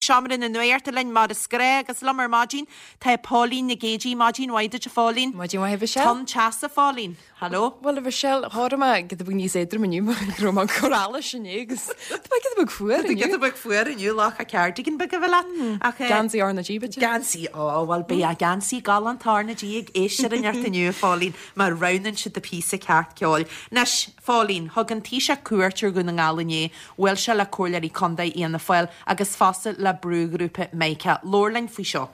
Seomra na Nuachta linn mar is gnách agus liom ar maidin tá Póilín Nic Géidigh. Maidin mhaith duit a Phóilín. Maidin mhaith a Mhichelle. Tonn teasa a Phóilín. Hello. Bhuel a Mhichelle, chóirigh mé giota beag níos éadroime inniu mar go raibh mé ag cur allais inné agus tá mé giota beag fuar inniu. Giota beag fuar inniu, lá a cardigan beag a bheith leat. Ach Geansaí R na G b'fhéidir? Geansaí, ó bhuel beidh geansaí galánta R na G ag éisteoirí an inniu a Phóilín má roghnaíonn siad an píosa ceart ceoil. Anois, Phóilín, thug an Taoiseach cuairt ar Dhún na nGall inné Bhuail sé le Comhairleoirí Contae Fhianna Fáil agus fosta le brúghrúpa Mica. Labhair linn faoi seo.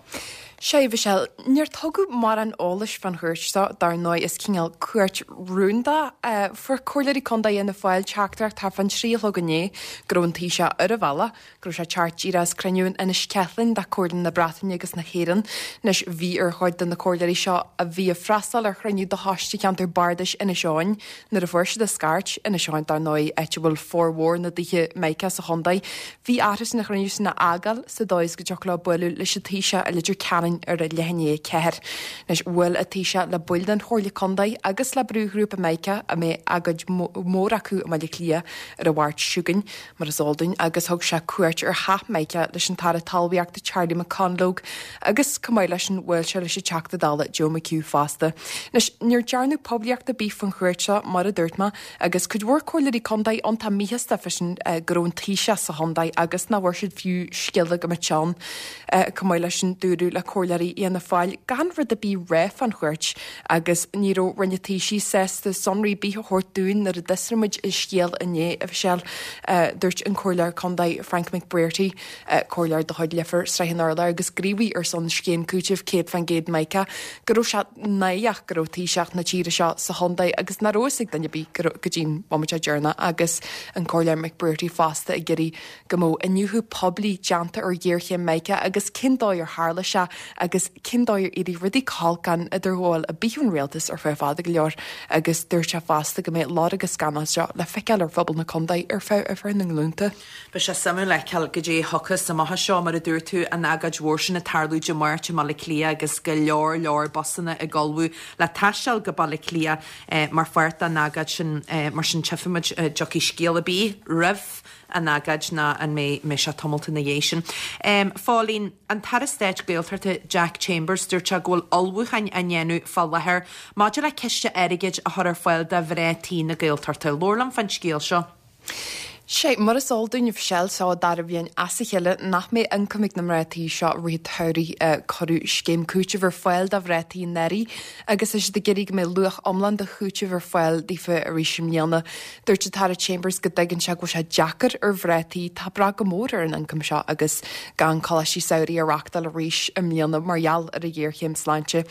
Sea, a Mhichelle, níor tugadh mórán eolais fán chuairt seo, dar ndóigh is cineál cuairt rúnda. Fuair Comhairleoirí Contae Fhianna Fáil teachtaireacht thart fán 3 a chlog inné go raibh an Taoiseach ar a bhealach go raibh sé ag teacht díreach as cruinniú in Inis Ceithleann de Comhairle na Breataine agus na hÉireann. Anois, bhí ar chuid de na comhairleoirí seo a bhí ag freastal ar chruinniú de choiste cheantar bardais Inis Eoghain Nuair a fuair siad an scairt, Inis Eoghain dar ndóigh, áit a bhfuil formhór na dtithe Mica sa chontae, bhí orthu an chruinniú sin a fhágáil sa dóigh is go dtiocfadh leo bualadh leis an Taoiseach i Leitir Ceanainn ar a leath i ndiaidh a 4. Anois, bhuail an Taoiseach le baill den Chomhairle Contae agus le brúghrúpa Mica a mbeidh agóid mhór acu i mBaile Átha Cliath ar an Mháirt seo chugainn, mar is eol dúinn, agus thug sé cuairt ar theach Mica leis an tAire Talmhaíochta Charlie McConalogue agus chomh maith leis sin bhuail sé leis an Teachta Dála Joe McHugh fosta. Anois, níor dearnadh poiblíocht ar bith faoin chuairt seo, mar a dúirt mé, agus cuid mhór comhairleoirí contae iontach míshásta fá sin go raibh an Taoiseach sa chontae agus nach bhfuair siad fiú scéala go mbeadh sé ann. Chomh maith leis sin dúradh le comhairleoirí Fhianna Fáil gan rud ar bith a rá fán chuairt Agus ní raibh Roinn an Taoisigh sásta sonraí ar bith a thabhairt dúinn nuair a d'fhiosraigh muid an scéal inné, a Mhichelle. Dúirt an Comhairleoir Contae Frank McBrearty, comhairleoir de chuid Leifear, Srath an Urláir agus gníomhaí ar son scéim cúitimh 100% Mica, go raibh sé náireach go raibh Taoiseach na tíre seo sa chontae agus nach raibh fhios ag duine ar bith go dtí'n bhomaite deireanach agus an Comhairleoir McBrearty fosta ag iarraidh go mbeadh iniúchadh poiblí déanta ar ghéarchéim Mica agus cén dóigh ar tharla sé agus cén dóigh ar éirigh rudaí chomh holc gan idirghabháil ar bith ón rialtas ar feadh fada go leor agus dúirt sé fosta go mbeidh lorg an scannail seo le feiceáil ar phobal na contae ar feadh ar feadh na nglúnta. Beidh sé suimiúil a fheiceáil goidé a thiocfas amach as seo, mar a dúirt tú, an agóid mhór sin ag tarlú Dé Máirt i mBaile Átha Cliath agus go leor leor busanna ag ullmhú le taisteal go Baile Átha Cliath mar pháirt den agóid sin. Mar sin tchífimid an dtiocfaidh scéal ar bith roimh an agóid nó an mbeidh sé tamalt ina dhiaidh sin. Phóilín, An tAire Stáit Gaeltachta Jack Chambers, dúirt sé go bhfuil ullmhúcháin á ndéanamh fá láthair maidir le ciste airgid a chur ar fáil do mhná tí na Gaeltachta. Labhair liom fán scéal seo. Sé, mar is eol dúinn, a Mhichelle, seo an dara bhliain as a chéile nach mbeidh ioncam ag na mná tí seo i rith an tsamhraidh. Cuireadh scéim cúitimh ar fáil do mhná tí anuraidh agus tá siad ag iarraidh go mbeidh luach iomlán de chúiteamh ar fáil daofa arís i mbliana. Dúirt an tAire Chambers go dtuigeann sé go bhfuil sé deacair ar mhná tí atá ag brath go mór ar an ioncam seo agus gan coláistí samhraidh á reáchtáil arís i mbliana mar gheall ar an ghéarchéim sláinte.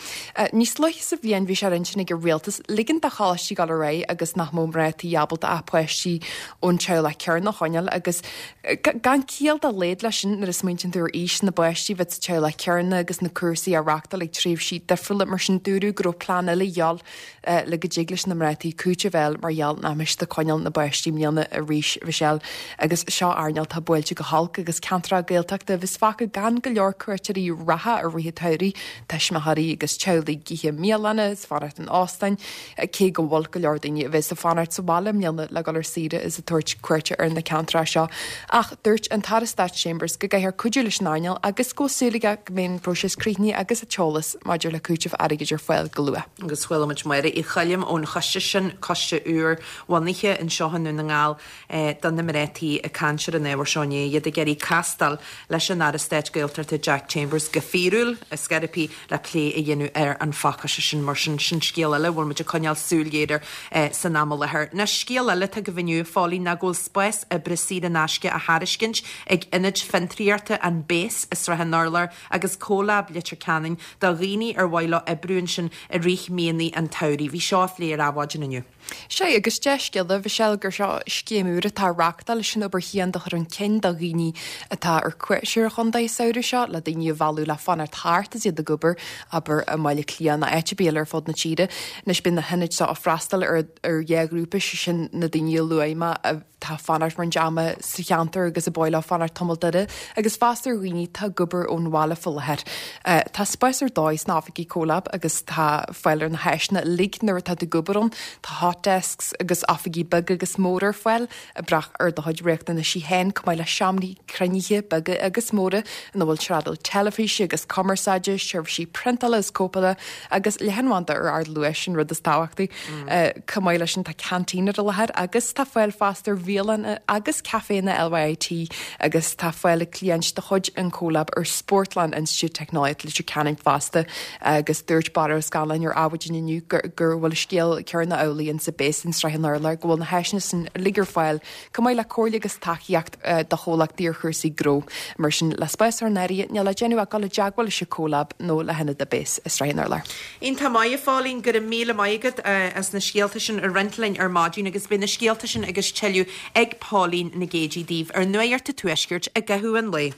Níos luaithe sa bhliain bhí sé ar intinn ag an rialtas ligean do choláistí dul ar aghaidh agus nach mbeadh mná tí ábalta ach páistí ón teaghlach céanna a choinneáil agus gan ciall dá laghad leis sin nuair a smaointíonn tú ar aois na bpáistí bheith sa teaghlach céanna agus na cúrsaí á reáchtáil ag tréimhsí difriúla mar sin dúradh go raibh plean eile a dhíobháil le go dtig leis na mná tí cúiteamh a fháil mar gheall nach mbeidh siad ag coinneáil na bpáistí i mbliana arís, Mhichelle. Agus seo earnáil atá buailte go holc agus ceantracha Gaeltachta a bheas fágtha gan go leor cuairteoirí reatha i rith an tsamhraidh, tuismitheoirí agus teaghlaigh ag ithe i mbialanna is fanacht in óstáin, cé go bhfuil go leor daoine a bheas ag fanacht sa bhaile i mbliana le dul ar saoire is ag tabhairt cuairte ar na ceantracha seo. Ach dúirt an tAire Stáit Chambers go gcaithfear cuidiú leis an earnáil agus go bhfuil súil aige go mbeidh an próiseas críochnaithe agus an t-eolas maidir le cúiteamh airgid ar fáil go luath. Agus chuala muid Máire Uí Choilm ón choiste sin, coiste úr bhunaithe anseo i nDún na nGall do na mná tí ag caint ar an ábhar seo inné, iad ag iarraidh castáil leis an Aire Stáit Gaeltachta Jack Chambers go fíorúil ar scor ar bith le plé a dhéanamh ar an phacáiste sin. Mar sin, sin scéal eile a bhfuil muid ag coinneáil súil ghéar air san am i láthair. Anois, scéal eile atá agaibh inniu, a Phóilín, ná go bhfuil spás oibre saor in aisce á thairiscint ag ionaid fiontraíochta an Base i Srath an Urláir agus CoLab Leitir Ceanainn do dhaoine ar mhaith leo oibriú ansin i rith míonna an tsamhraidh. Bhí seo á phlé ar Adhmhaidin inniu. Sea, agus dea-scéala, Mhichelle, gur seo scéim úr atá á reáchtáil leis an obair chianda a chur chun cinn do dhaoine atá ar cuairt ar an chontae an samhradh seo, le daoine a mhealladh le fanacht thart is iad ag obair, abair, i mBaile Átha Cliath nó áit ar bith eile ar fud na tíre. Anois, beidh na hionaid seo ag freastal ar ar dhá ghrúpa, sé sin na daoine a luaigh mé, atá ag fanacht. fanacht roinnt ama sa cheantar agus ab áil leo fanacht tamall uirthi agus fosta ar dhaoine atá ag obair ón bhaile faoi láthair. Tá spás ar dóigh sna oifigí Comhlab agus tá fáil ar na háiseanna uilig nuair atá tú ag obair ann. Tá hot desks agus oifigí beaga agus móra ar fáil ag brath ar do chuid riachtanaisí féin, chomh maith le seomraí cruinnithe beaga agus móra ina bhfuil trádáil teilifíse agus cumarsáide, seirbhísí priontála is cóipeála agus leathanbhanda ar ardluais, an rud is tábhachtaí. Chomh maith leis sin tá canteen ar an láthair agus tá fáil fosta ar bhialanna agus caiféanna LYIT agus tá fáil ag cliaint de chuid an Comhlab ar Spórtlann Institiúid Teicneolaíochta Leitir Ceanainn fosta agus dúirt Barra Ó Scanláin ar Adhmhaidin inniu go bhfuil an scéal céanna amhlaidh insa BIS in Srath an Urláir, go bhfuil na háiseanna san uilig ar fáil chomh maith le comhairle agus tacaíocht do chomhlachtaí ar chúrsaí gnó. Mar sin, le spás a chur in áirithe, níl le déanamh ach dul i dteagmháil leis an Comhlab nó le hionad BIS i Srath an Urláir. Iontach maith, a Phóilín, go raibh míle maith agat as na scéalta sin a roinnt linn ar maidin agus beidh na scéalta sin agus tuilleadh ag Póilín Nic Géidigh daoibh ar Nuacht an Tuaiscirt i gcaitheamh an lae.